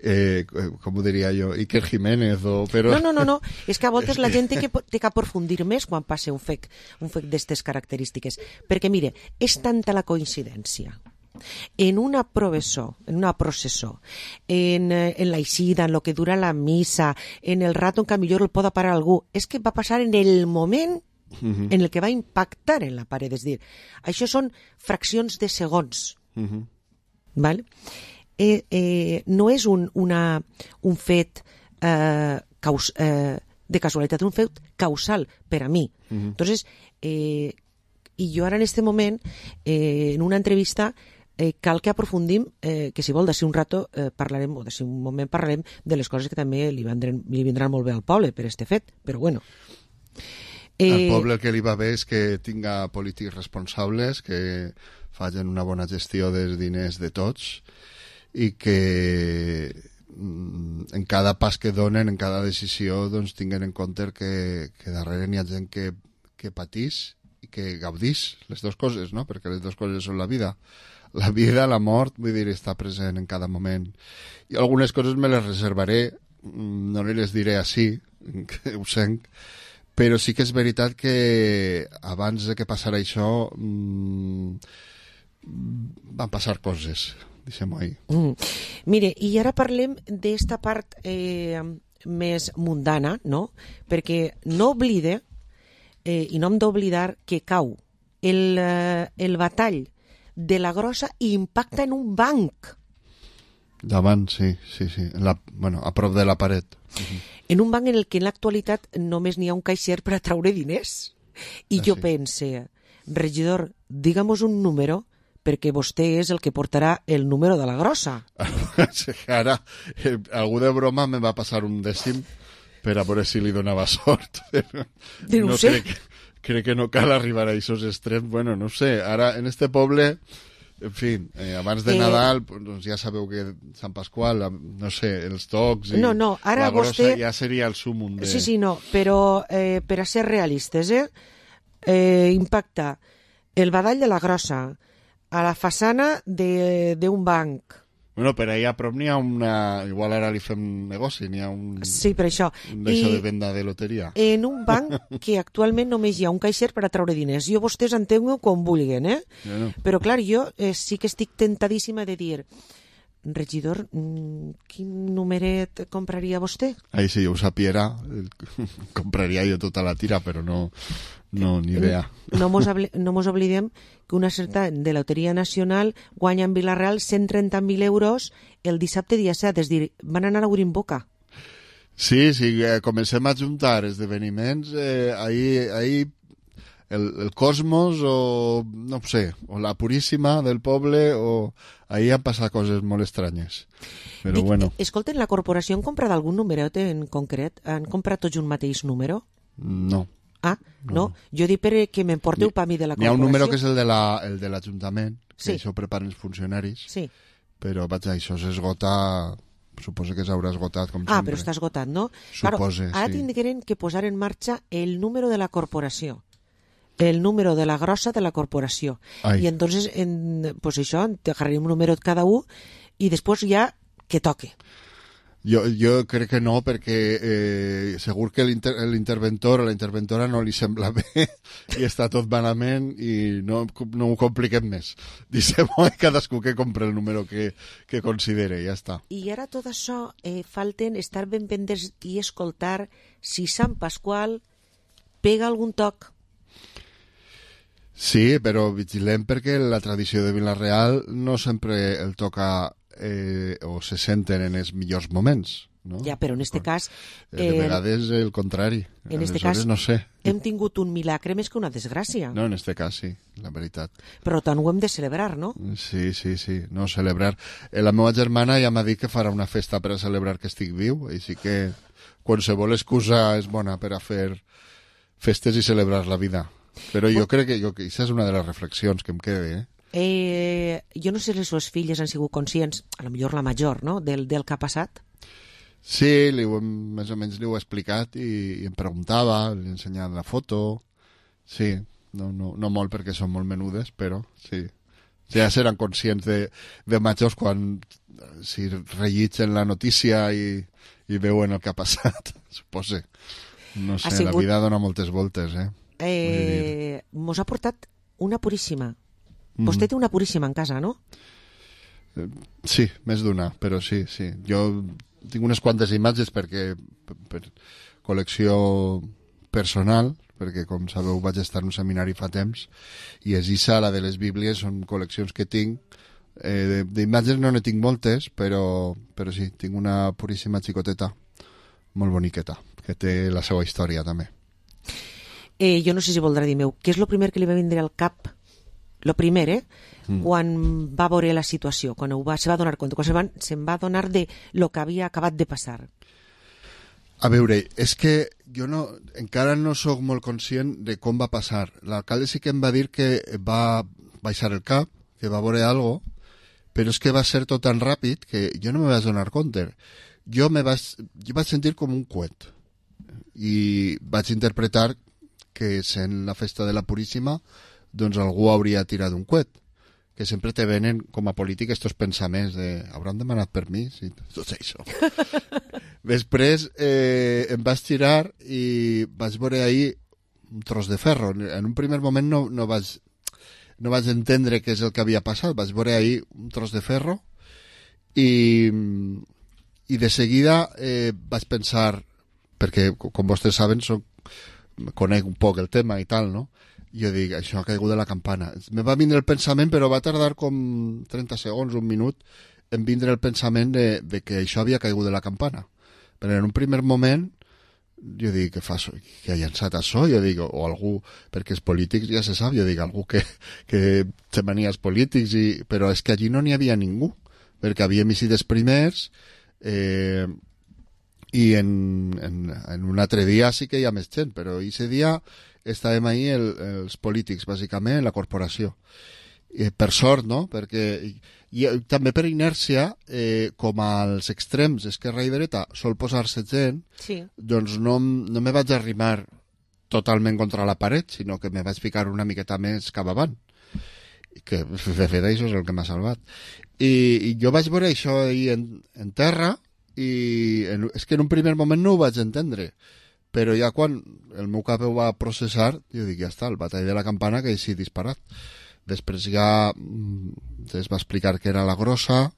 com ho diria jo, Iker Jiménez però... No, és que a voltes la gent té que aprofundir més quan passa un fet d'aquestes característiques, perquè mire, és tanta la coincidència en una processó, en la eixida, en lo que dura la missa, en el rato en què millor el pot parar algú, és que va passar en el moment en el que va impactar en la paret, és dir, això són fraccions de segons, ¿vale? No és un fet de casualitat, un fet causal per a mi. Entonces, i jo ara en este moment, en una entrevista, cal que aprofundim, que si vol d'ací un rato parlarem, o d'ací un moment parlarem de les coses que també li vindran molt bé al poble per este fet, però bueno. Al poble el que li va bé és que tinga polítics responsables, que facin una bona gestió dels diners de tots, i que en cada pas que donen, en cada decisió, doncs tinguen en compte que darrere n'hi ha gent que patís i que gaudís les dues coses, no? Perquè les dues coses són la vida. La vida, la mort, vull dir, està present en cada moment. I algunes coses me les reservaré, no les diré així, que ho sent, però sí que és veritat que abans de que passara això van passar coses, deixem-ho ahí. Mire, i ara parlem d'esta part més mundana, no? Perquè no oblide, i no hem d'oblidar que cau el batall de la Grossa i impacta en un banc. Davant, sí. A prop de la paret. En un banc en el que en l'actualitat només n'hi ha un caixer per a traure diners. I jo pense, regidor, digamos un número, perquè vostè és el que portarà el número de la Grossa. Ara, algú de broma me va passar un dècim per a veure si li donava sort. No sé. Crec que no cal arribar a aquests extrems. Bueno, no sé, ara en este poble, en fi, abans de Nadal, doncs ja sabeu que Sant Pasqual, no sé, els tocs i ara la Grossa vostè... ja seria el súmum de... Sí, no, però per a ser realistes, impacta el badall de la Grossa a la façana d'un banc. Bueno, per allà a prop n'hi ha una... Igual ara li fem negoci, n'hi ha un... Sí, per això. D'això de venda de loteria. En un banc que actualment només hi ha un caixer per a treure diners. Jo vostès entenguin com vulguin, No. Però clar, jo sí que estic tentadíssima de dir, regidor, quin numeret compraria vostè? Ahí si jo ho sapiera, compraria jo tota la tira, però no ni idea. No mos oblidem que una certa de Loteria Nacional guanya en Vila-real 130.000 euros el dissabte dia 7, és dir, van anar obrint boca. Sí, comencem a juntar esdeveniments, ahí el Cosmos o, no sé, o la Puríssima del poble, o ahí han passat coses molt estranyes. Però bueno. Escolten, la corporació han comprat algun numeret en concret? Han comprat tots un mateix número? No. Ah, no? Jo dic perquè m'emporteu per mi de la corporació. N'hi ha un número que és el de l'Ajuntament, que això preparen els funcionaris, però vaja, això s'esgota, suposo que s'haurà esgotat, com sempre. Però està esgotat, no? Supose, ara tindrem que posar en marxa el número de la corporació, el número de la Grossa de la corporació. I entonces, pues això, t'agarrarem un número cada un i després ja que toque. Jo crec que no, perquè segur que l'interventor o la interventora no li sembla bé i està tot malament i no ho compliquem més. Deixem-ho cadascú que compra el número que considere, ja està. I ara tot això falten estar ben pendents i escoltar si Sant Pasqual pega algun toc. Sí, però vigilem perquè la tradició de Vila-real no sempre el toca o se senten en els millors moments, no? Ja, però en este cas... De vegades el contrari. En este cas no sé. Hem tingut un milagre més que una desgràcia. No, en este cas sí, la veritat. Però tant ho hem de celebrar, no? Sí, no, celebrar. La meva germana ja m'ha dit que farà una festa per a celebrar que estic viu, així que qualsevol excusa és bona per a fer festes i celebrar la vida. Però jo crec que aquesta és una de les reflexions que em queda, jo no sé si les seves filles han sigut conscients, a lo millor la major, no?, del que ha passat. Sí, més o menys li ho he explicat i em preguntava, li he ensenyat la foto. Sí, no molt perquè són molt menudes, però sí. Ja seran conscients de majors quan si rellegeixen la notícia i veuen el que ha passat, supose. No sé, la vida dona moltes voltes, Mos ha portat una Puríssima. Vostè té una Puríssima en casa, no? Sí, més d'una, però sí. Jo tinc unes quantes imatges per col·lecció personal, perquè, com sabeu, vaig estar en un seminari fa temps, i Esissa, la de les Bíblies, són col·leccions que tinc. D'imatges no ne tinc moltes, però sí, tinc una Puríssima xicoteta, molt boniqueta, que té la seva història, també. Jo no sé si voldrà dir meu, què és el primer que li va vindre al cap? Lo primer, quan va veure la situació, quan se va donar compte, quan se'n va donar de lo que havia acabat de passar. A veure, és que jo encara no sóc molt conscient de com va passar. L'alcalde sí que em va dir que va baixar el cap, que va veure alguna cosa, però és que va ser tot tan ràpid que jo no me vaig donar compte. Jo vaig sentir com un coet i vaig interpretar que sent la festa de la Puríssima doncs algú hauria tirat un coet, que sempre te venen com a polític estos pensaments de hauran demanat permís i tot això. Després em vaig tirar i vaig veure ahir un tros de ferro. En un primer moment no vaig entendre què és el que havia passat. Vaig veure ahir un tros de ferro i de seguida vaig pensar, perquè com vostès saben conec un poc el tema i tal, no? Jo dic, això ha caigut de la campana. Me va vindre el pensament, però va tardar com 30 segons, un minut, en vindre el pensament de que això havia caigut de la campana. Però en un primer moment jo dic, que ha llançat això? Jo dic, o algú, perquè els polítics ja se sap, jo dic, algú que té manies polítics, però és que allí no n'hi havia ningú, perquè havíem eixit els primers, i en un altre dia sí que hi ha més gent, però aquest dia estàvem ahí els polítics, bàsicament, la corporació. Per sort, no? Perquè també per inèrcia, com als extrems, esquerra i dreta, sol posar-se gent, sí. Doncs no me vaig arrimar totalment contra la paret, sinó que me vaig ficar una miqueta més cap avant. Que, de fet, això és el que m'ha salvat. I jo vaig veure això ahir en terra, i és que en un primer moment no ho vaig entendre, però ja quan el meu cap ho va processar, jo dic, ja està, el batall de la campana que així disparat. Després ja es va explicar que era la grossa,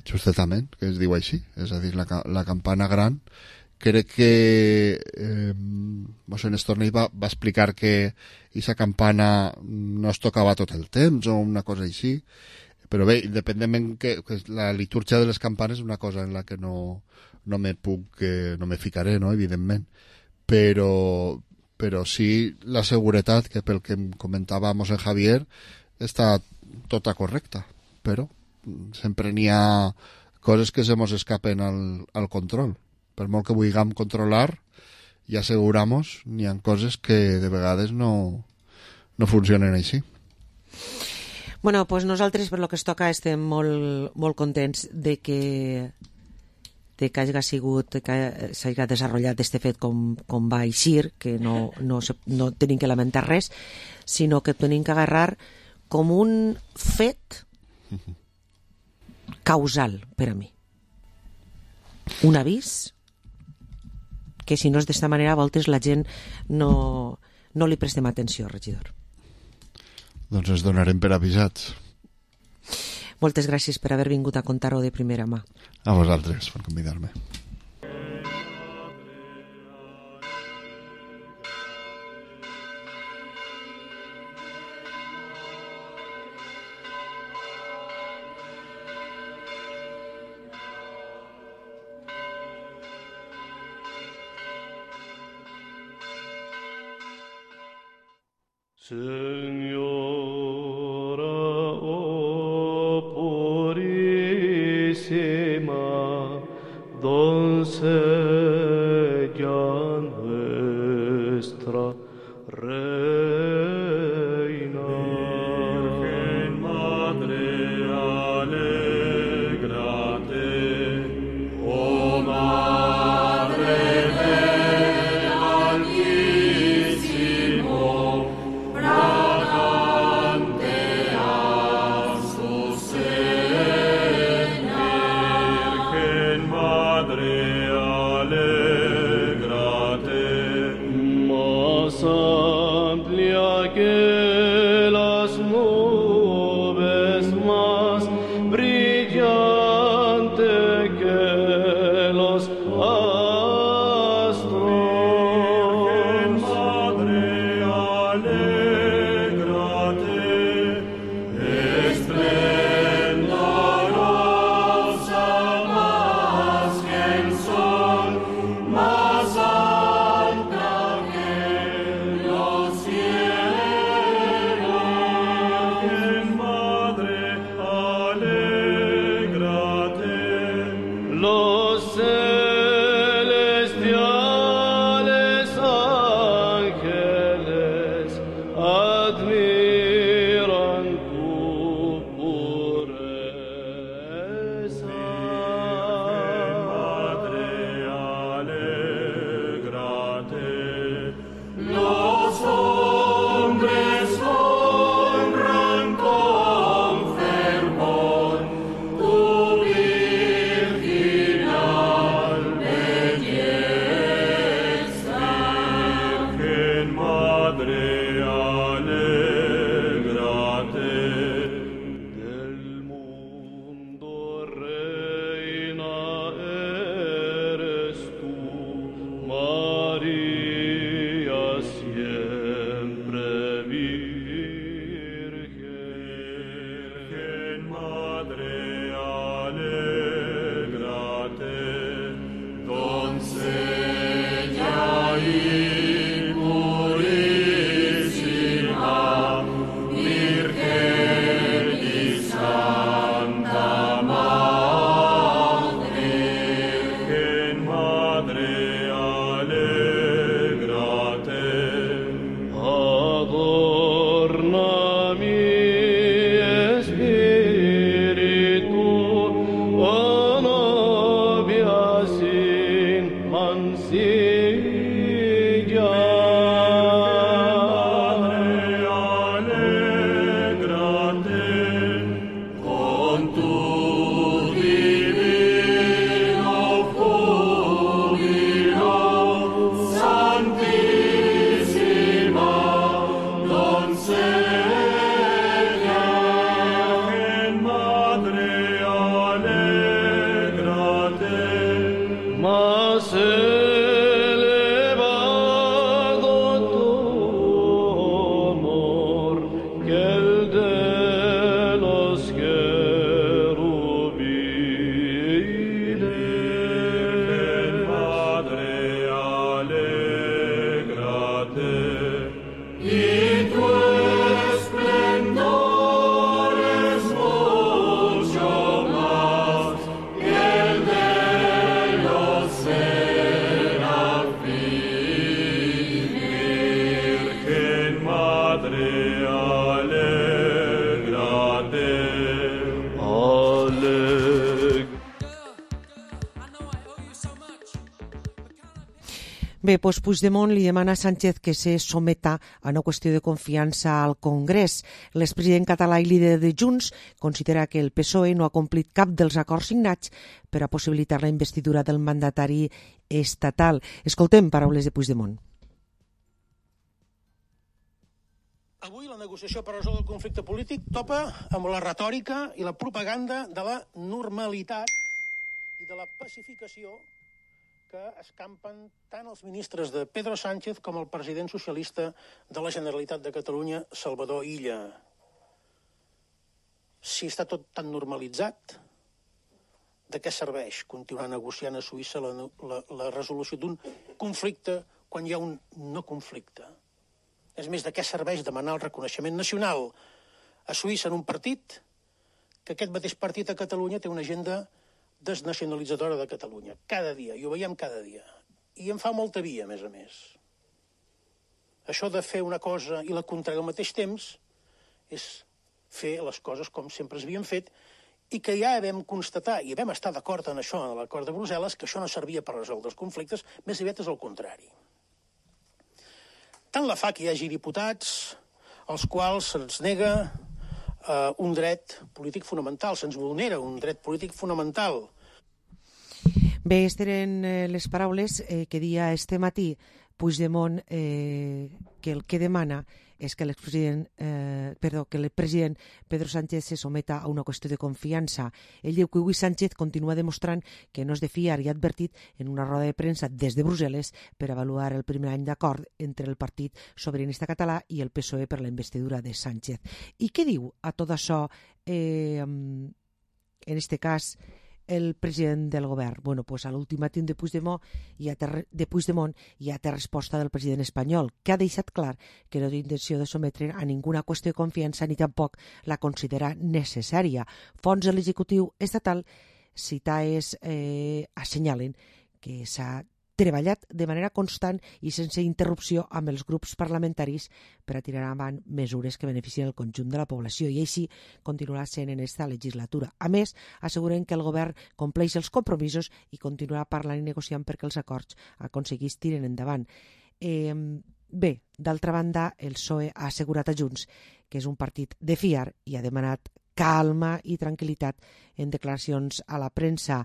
justament, que es diu així, és a dir, la campana gran. Crec que Mossèn Estornell va explicar que aquesta campana no es tocava tot el temps o una cosa així, però bé, independentment que la litúrgia de les campanes és una cosa en la que no me ficaré, no, evidentment, però sí la seguretat, que pel que em comentava Mossèn Javier està tota correcta, però sempre n'hi ha coses que se mos escapen al control. Per molt que vulguem controlar i assegurar-nos, n'hi ha coses que de vegades no funcionen així. Bueno, pues nosaltres, per lo que es toca, estem molt, molt contents de que hagi sigut, que s'hagi desenvolupat este fet com va eixir, que no tenim que lamentar res, sinó que tenim que agarrar com un fet causal per a mi. Un avís que si no és d'esta manera a voltes la gent no li prestem atenció, regidor. Doncs ens donarem per avisats. Moltes gràcies per haver vingut a contar-ho de primera mà. A vosaltres per convidar-me. Señora, oh purísima doncella nuestra, reina, Virgen Madre, alégrate, oh Madre del Altísimo, fragante a su seno. Virgen Madre, alégrate, más amplia que las nubes, más brillante que los astros. Virgen Madre, alégrate, esplendorosa más que el sol, más alta que los cielos. el de los querubines. Virgen Madre, alégrate, y tu esplendor es mucho más que el de los serafines. Virgen Madre, alégrate, Bé, doncs Puigdemont li demana a Sánchez que se someta a una qüestió de confiança al Congrés. L'expresident català i líder de Junts considera que el PSOE no ha complit cap dels acords signats per a possibilitar la investidura del mandatari estatal. Escoltem paraules de Puigdemont. Avui la negociació per resoldre el conflicte polític topa amb la retòrica i la propaganda de la normalitat i de la pacificació que escampen tant els ministres de Pedro Sánchez com el president socialista de la Generalitat de Catalunya, Salvador Illa. Si està tot tan normalitzat, de què serveix continuar negociant a Suïssa la resolució d'un conflicte quan hi ha un no conflicte? És més, de què serveix demanar el reconeixement nacional a Suïssa en un partit que aquest mateix partit a Catalunya té una agenda desnacionalitzadora de Catalunya, cada dia, i ho veiem cada dia. I en fa molta via, a més. Això de fer una cosa i la contrària al mateix temps és fer les coses com sempre es havien fet i que ja vam constatar, i vam estar d'acord en això, en l'acord de Brussel·les, que això no servia per resoldre els conflictes, més aviat és el contrari. Tant la fa que hi hagi diputats als quals se'ns nega un dret polític fonamental, se'ns vulnera un dret polític fonamental. Bé, aquestes eren les paraules que dia este matí Puigdemont, que el que demana és que el president Pedro Sánchez se someta a una qüestió de confiança. Ell diu que avui Sánchez continua demostrant que no és de fiar i ha advertit en una roda de premsa des de Brussel·les per avaluar el primer any d'acord entre el Partit Sobiranista Català i el PSOE per la investidura de Sánchez. I què diu a tot això, en este cas, el president del govern? Bueno, pues a l'ultimàtum de Puigdemont ja té resposta del president espanyol, que ha deixat clar que no té intenció de sometre a ninguna qüestió de confiança ni tampoc la considera necessària. Fonts de l'executiu estatal citades assenyalen que s'ha treballat de manera constant i sense interrupció amb els grups parlamentaris per a tirar avant mesures que beneficien el conjunt de la població, i així continuarà sent en esta legislatura. A més, asseguren que el govern compleix els compromisos i continuarà parlant i negociant perquè els acords aconseguits tiren endavant. Bé, d'altra banda, el PSOE ha assegurat a Junts que és un partit de fiar i ha demanat calma i tranquil·litat en declaracions a la premsa.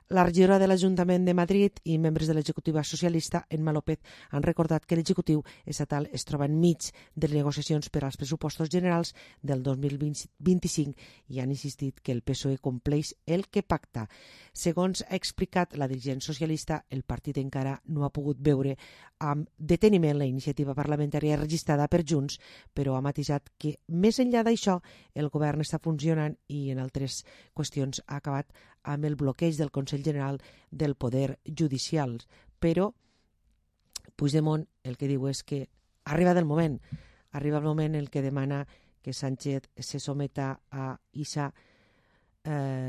La regidora de l'Ajuntament de Madrid i membres de l'executiva socialista, Emma López, han recordat que l'executiu estatal es troba enmig de les negociacions per als pressupostos generals del 2025 i han insistit que el PSOE compleix el que pacta. Segons ha explicat la dirigent socialista, el partit encara no ha pogut veure amb deteniment la iniciativa parlamentària registrada per Junts, però ha matisat que, més enllà d'això, el govern està funcionant i en altres qüestions ha acabat amb el bloqueig del Consell General del Poder Judicial. Però Puigdemont el que diu és que arriba el moment el que demana que Sánchez se someta a aquesta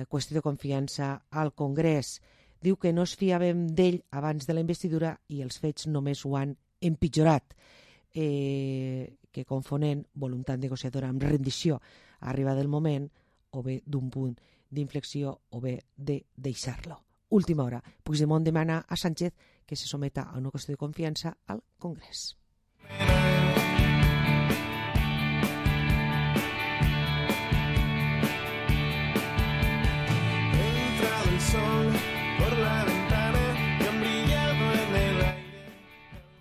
qüestió de confiança al Congrés. Diu que no es fiàvem d'ell abans de la investidura i els fets només ho han empitjorat, que confonent voluntat negociadora amb rendició arriba del moment o bé d'un punt d'inflexió o bé de deixar-lo. Última hora, Puigdemont demana a Sánchez que se someta a una qüestió de confiança al Congrés.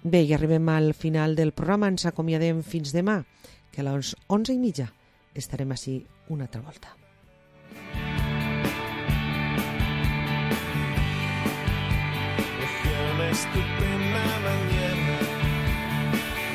Bé, i arribem al final del programa, ens acomiadem fins demà, que a les 11:30 estarem ací una altra volta. Tu